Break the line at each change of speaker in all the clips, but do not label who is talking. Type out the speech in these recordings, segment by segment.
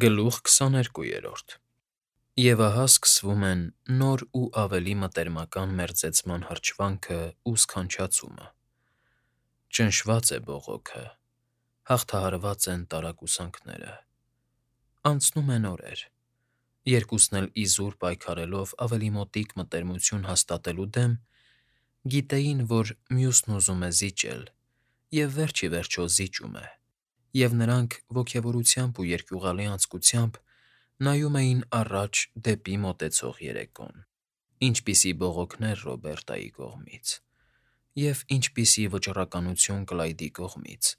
Գլուխ 22 Եվ ահա սկսվում են նոր ու ավելի մտերմական մերձեցման հրճվանքն ու սքանչացումը. ճնշված է բողոքը, հաղթահարված են տարակուսանքները, անցնում են օրեր, երկուսն էլ իզուր պայքարելով ավելի մոտիկ մտերմություն հաստատելու դեմ, գիտեին, որ մյուսն ուզում է զիջել և վերջ ի վերջո զիջում է, և նրանք ոգևորությամբ ու երկյուղալի անձկությամբ նայում էին առաջ դեպի մոտեցող երեկոն. ինչպիսի բողոքներ Ռոբերտայի կողմից, և ինչպիսի վճռականություն Կլայդի կողմից,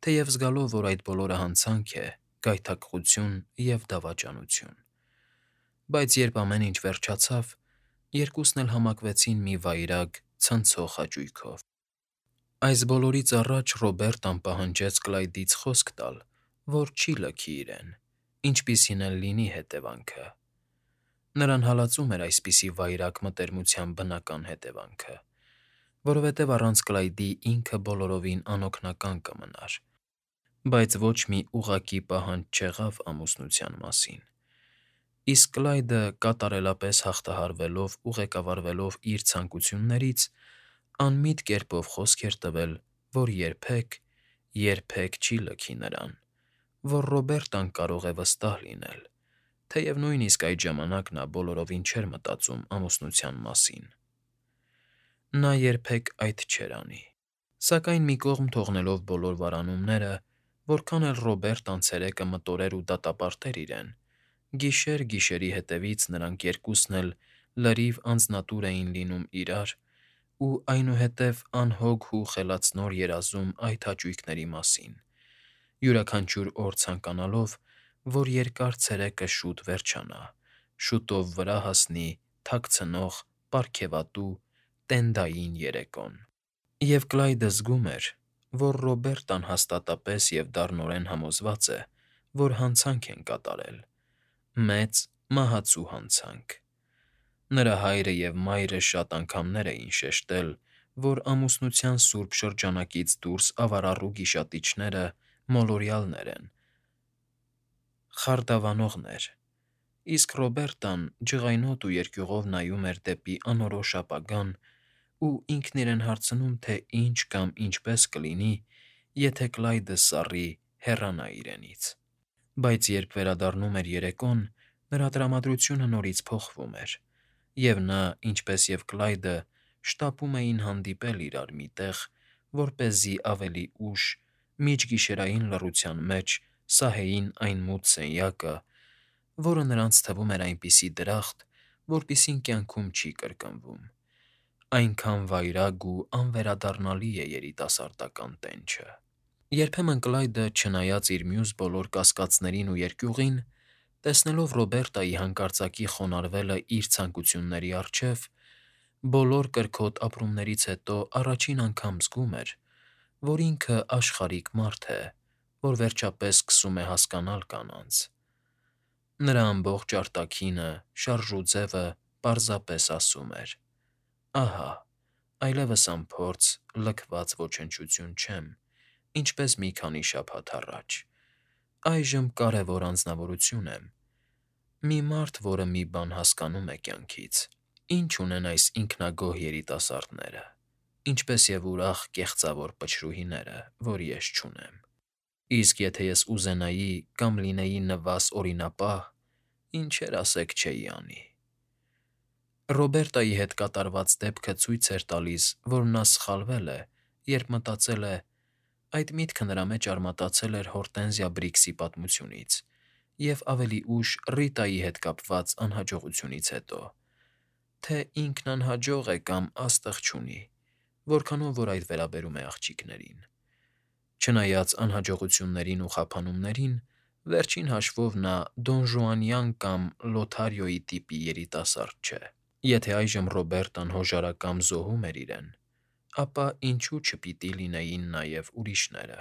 թեև զգալով, որ այդ բոլորը հանցանք է, գայթակղություն և դավաճանություն. բայց երբ ամեն ինչ վերջացավ, երկուսն էլ համակվեցին մի վայրագ, ցնցող հաճույքով. Այս բոլորից առաջ Ռոբերտան պահանջեց Կլայդից խոսք տալ, որ չի լքի իրեն, ինչպիսին էլ լինի հետևանքը. նրան հալածում էր այսպիսի վայրագ մտերմության բնական հետևանքը, որովհետև առանց Կլայդի ինքը բոլորովին անօգնական կմնար, բայց ոչ մի ուղղակի պահանջ չեղավ ամուսնության մասին, իսկ Կլայդը կատարելապես հաղթահարվելով ու ղեկավարվելով իր ցանկություններից, անմիտ կերպով խոսք էր տվել, որ երբեք չի լքի նրան, որ Ռոբերտան կարող է վստահ լինել, թեև նույնիսկ այդ ժամանակ նա բոլորովին չէր մտածում ամուսնության մասին. նա երբեք այդ չէր անի, սակայն մի կողմ թողնելով բոլոր վարանումները, որքան էլ Ռոբերտան ցերեկը մտորեր ու դատապարտեր իրեն, գիշեր-գիշերի հետևից նրանք երկուսն էլ լրիվ անձնատուր էին լինում իրար ու այնուհետև անհոգ ու խելացնոր երազում այդ հաճույքների մասին, յուրաքանչյուր օր ցանկանալով, որ երկար ցերեկը շուտ վերջանա, շուտով վրա հասնի թաքցնող, պարգևատու, տենդային երեկոն. և Կլայդը զգում էր, որ Ռոբերտան հաստատապես և դառնորեն համոզված է, որ հանցանք են կատարել, մեծ, մահացու հանցանք. նրա հայրը և մայրը շատ անգամներ էին շեշտել, որ ամուսնության սուրբ շրջանակից դուրս ավարառու գիշատիչները մոլորյալներ են, խարդավանողներ, իսկ Ռոբերտան ջղայնոտ ու երկյուղով նայում էր դեպի անորոշ ապագան ու ինքն իրեն հարցնում, թե ինչ կամ ինչպես կլինի, եթե Կլայդը սառի հեռանա իրենից, բայց երբ վերադառնում էր երեկոն, նրա տրամադրությունը նորից փոխվում էր, և նա, ինչպես և Կլայդը, շտապում էին հանդիպել իրար մի տեղ, որպեսզի ավելի ուշ, միջգիշերային լռության մեջ սահեին այն մութ սենյակը, որը նրանց թվում էր այնպիսի դրախտ, որպիսին կյանքում չի կրկնվում, այնքան վայրագ ու անվերադառնալի է երիտասարդական տենչը։ Երբեմն Կլայդը, չնայած իր մյուս բոլոր կասկածներին ու երկյուղին, տեսնելով Ռոբերտայի հանկարծակի խոնարհվելը իր ցանկությունների առջև, բոլոր կրքոտ ապրումներից հետո առաջին անգամ զգում էր, որ ինքը աշխարհիկ մարդ է, որ վերջապես սկսում է հասկանալ կանանց. նրա ամբողջ արտաքինը, շարժուձևը պարզապես ասում էր. «Ահա, այլևս անփորձ, լքված ոչնչություն չեմ, ինչպես մի քանի շաբաթ առաջ, այժմ կարևոր անձնավորություն եմ, մի մարդ, որը մի բան հասկանում է կյանքից, ինչ ունեն այս ինքնագոհ երիտասարդները, ինչպես և ուրախ, կեղծավոր փչրուհիները, որ ես չունեմ, իսկ եթե ես ուզենայի կամ լինեի նվազ օրինապահ, ինչեր ասեք չէի անի»։ Ռոբերտայի հետ կատարված դեպքը ցույց էր տալիս, որ նա սխալվել է, երբ մտածել է. այդ միտքը նրա մեջ արմատացել էր Հորտենզիա Բրիքսի պատմությունից և ավելի ուշ Ռիտայի հետ կապված անհաջողությունից հետո, թե ինքն անհաջող է կամ աստղ չունի, որքանով որ այդ վերաբերում է աղջիկներին. չնայած անհաջողություններին ու խափանումներին, վերջին հաշվով նա դոնժուանյան կամ Լոթարիոյի տիպի երիտասարդ չէ։ Եթե այժմ Ռոբերտան հոժարակամ զոհում էր իրեն, ապա ինչու չպիտի լինեին նաև ուրիշները։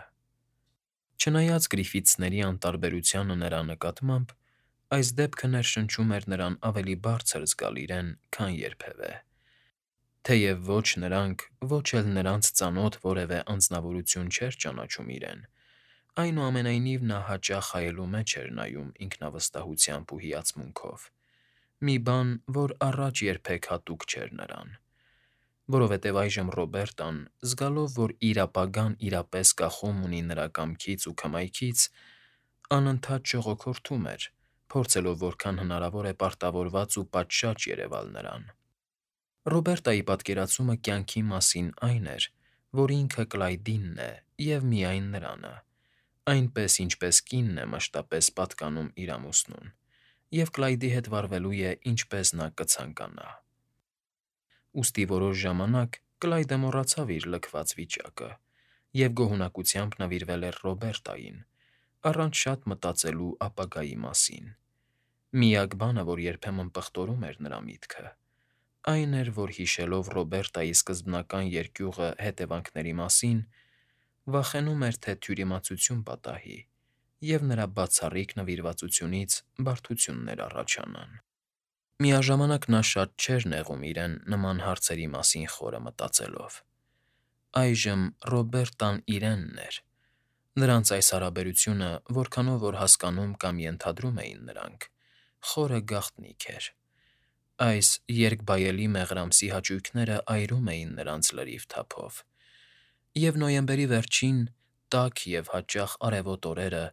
Չնայած Գրիֆիթսների անտարբերությանը նրա նկատմամբ, այս դեպքը ներշնչում էր նրան ավելի բարձր զգալ իրեն, քան երբևէ, թեև ոչ նրանք, ոչ էլ նրանց ծանոթ որևէ անձնավորություն չէր ճանաչում իրեն, Այնուամենայնիվ նա հաճախ հայելու մեջ էր նայում ինքնավստահությամբ ու հիացմունքով, մի բան, որ առաջ երբեք հատուկ չէր նրան, որովհետև այժմ Ռոբերտան, զգալով, որ իր ապագան իրապես կախում ունի նրա կամքից ու քմայքից, անընդհատ շողոքորթում էր, փորձելով որքան հնարավոր է պարտավորված ու պատշաճ երևալ նրան։ Ռոբերտայի պատկերացումը կյանքի մասին այն էր, որ ինքը Կլայդինն է և միայն նրանը, այնպես, ինչպես կինն է մշտապես պատկանում իր ամուսնուն, և Կլայդի հետ վարվելու է, ինչպես նա կցանկանա։ Ուստի որոշ ժամանակ Կլայդը մոռացավ իր լքված վիճակը և գոհունակությամբ նվիրվել էր Ռոբերտային, առանց շատ մտածելու ապագայի մասին։ Միակ բանը, որ երբեմն պղտորում էր նրա միտքը, այն էր, որ հիշելով Ռոբերտայի սկզբնական երկյուղը հետևանքների մասին, վախենում էր, թե թյուրիմացություն պատահի, և նրա բացառիկ նվիրվածությունից բարդություններ առաջանան։ Միաժամանակ նա շատ չէր նեղում իրեն նման հարցերի մասին խորը մտածելով։ Այժմ Ռոբերտան իրենն էր։ Նրանց այս հարաբերությունը, որքանով որ հասկանում կամ ենթադրում էին նրանք, խորը գաղտնիք էր։ Այս երկբայելի մեղրամսի հաճույքները այրում էին նրանց լրիվ թափով, և նոյեմբերի վերջին, տաք և հաճախ արևոտ օրերը,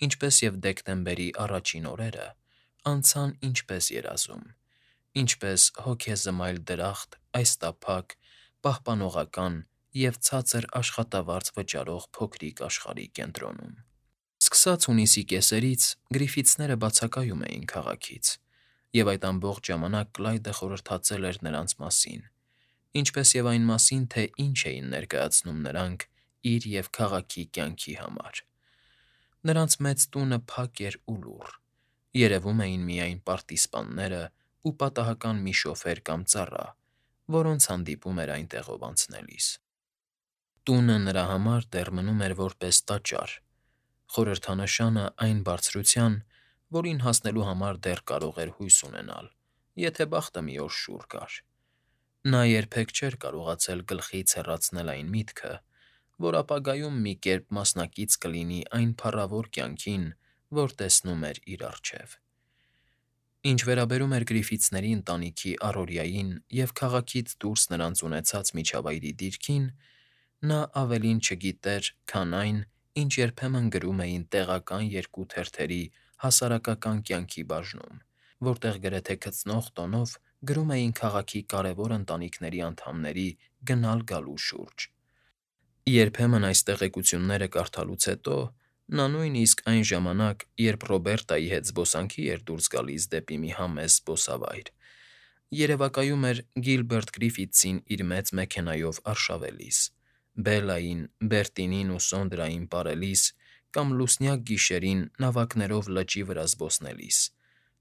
ինչպես և դեկտեմբերի առաջին օրերը, անցան ինչպես երազում, ինչպես հոգեզմայլ դրախտ այս տափակ, պահպանողական և ցածր աշխատավարձ վճարող փոքրիկ աշխարհի կենտրոնում։ Սկսած հունիսի կեսերից Գրիֆիթսները բացակայում էին քաղաքից, և այդ ամբողջ ժամանակ Կլայդը խորհրդածել էր նրանց մասին, ինչպես և այն մասին, թե ինչ էին ներկայացնում նրանք իր և քաղաքի կյանքի համար։ Նրանց մեծ տունը փակ էր ու լուռ, երևում էին միայն պարտիզպանները ու պատահական մի շոֆեր կամ ծառա, որոնց հանդիպում էր այնտեղով անցնելիս։ Տունը նրա համար դեռ մնում էր որպես տաճար, խորհրդանշանը այն բարձրության, որին հասնելու համար դեռ կարող էր հույս ունենալ, եթե բախտը մի օր շուռ գար։ Նա երբեք չէր կարողացել գլխից հեռացնել այն միտքը, որ ապագայում մի կերպ մասնակից կլինի այն փառավոր կյանքին, որ տեսնում էր իր առջև։ Ինչ վերաբերում էր Գրիֆիթսների ընտանիքի առօրյային և քաղաքից դուրս նրանց ունեցած միջավայրի դիրքին, նա ավելին չգիտեր, քան այն, ինչ երբեմն գրում էին տեղական երկու թերթերի հասարակական կյանքի բաժնում, որտեղ գրեթե քծնող տոնով գրում էին քաղաքի կարևոր ընտանիքների անդամների գնալ֊գալու շուրջ։ Երբեմն այս տեղեկությունները կարդալուց հետո նա նույնիսկ այն ժամանակ, երբ Ռոբերտայի հետ զբոսանքի էր դուրս գալիս դեպի մի համեստ զբոսավայր, երևակայում էր Գիլբերտ Գրիֆիթսին իր մեծ մեքենայով արշավելիս, Բելլային, Բերտինին ու Սոնդրային պարելիս կամ լուսնյակ գիշերին նավակներով լճի վրա զբոսնելիս,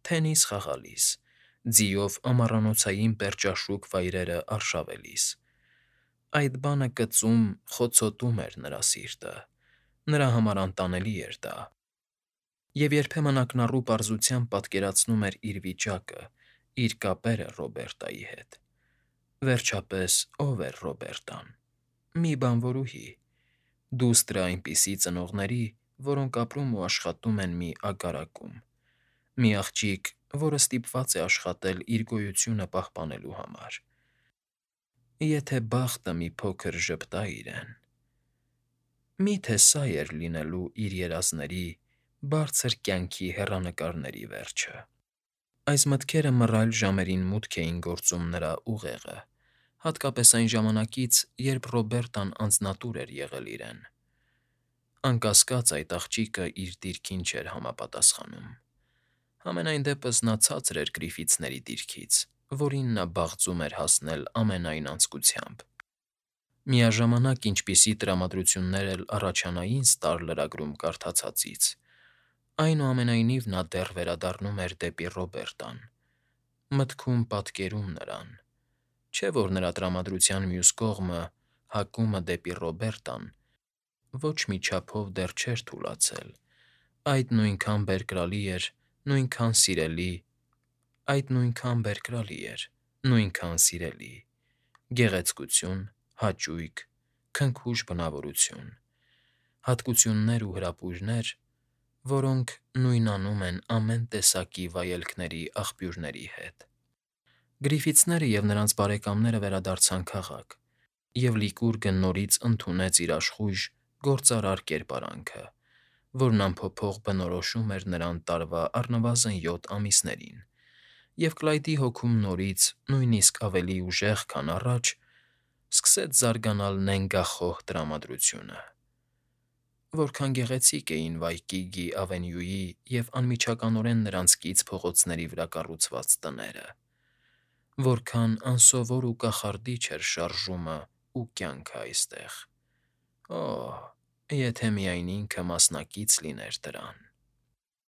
թենիս խաղալիս, ձիով ամառանոցային պերճաշուք վայրերը արշավելիս։ Այդ բանը կծում, խոցոտում էր նրա սիրտը, նրա համար անտանելի էր դա։ Եվ երբեմն ակնառու պարզությամբ պատկերացնում էր իր վիճակը, իր կապերը Ռոբերտայի հետ։ Վերջապես, ո՞վ էր Ռոբերտան։ Մի բանվորուհի, դուստր այնպիսի ծնողների, որոնք ապրում ու աշխատում են մի ագարակում, մի աղջիկ, որը ստիպված է աշխատել իր գոյությունը պահպանելու համար։ Եթե բախտը մի փոքր ժպտա իրեն… Մի՞թե սա էր լինելու իր երազների, բարձր կյանքի հեռանկարների վերջը։ Այս մտքերը մռայլ ժամերին մուտք էին գործում նրա ուղեղը, հատկապես այն ժամանակից, երբ Ռոբերտան անձնատուր էր եղել իրեն։ Անկասկած, այդ աղջիկը իր դիրքին չէր համապատասխանում։ Համենայն դեպս նա ցածր էր Գրիֆիթսների դիրքից, որին նա բաղձում էր հասնել ամենայն անձկությամբ։ Միաժամանակ, ինչպիսի տրամադրություններ էլ առաջանային Ստար լրագրում կարդացածից, այնուամենայնիվ նա դեռ վերադառնում էր դեպի Ռոբերտան, մտքում պատկերում նրան։ Չէ՞ որ նրա տրամադրության մյուս կողմը, հակումը դեպի Ռոբերտան, ոչ մի չափով դեռ չէր թուլացել, այդ նույնքան բերկրալի էր, նույնքան սիրելի, այդ նույնքան բերկրալի էր, նույնքան սիրելի… Գեղեցկություն, հաճույք, քնքուշ բնավորություն։ հատկություններ ու հրապույրներ, որոնք նույնանում են ամեն տեսակի վայելքների աղբյուրների հետ։ Գրիֆիթսները և նրանց բարեկամները վերադարձան քաղաք, և Լիկուրգը նորից ընդունեց իր աշխույժ, գործարար կերպարանքը, որն անփոփոխ բնորոշում էր նրան տարվա առնվազն 7 ամիսներին, և Կլայդի հոգում նորից, նույնիսկ ավելի ուժեղ, քան առաջ, սկսեց զարգանալ նենգախոհ տրամադրությունը։ Որքան գեղեցիկ էին Վայկիգի Ավենյուի և անմիջականորեն նրանց կից փողոցների վրա կառուցված տները, որքան անսովոր ու կախարդիչ էր շարժումն ու կյանքն այստեղ… Օհ, եթե միայն ինքը մասնակից լիներ դրան։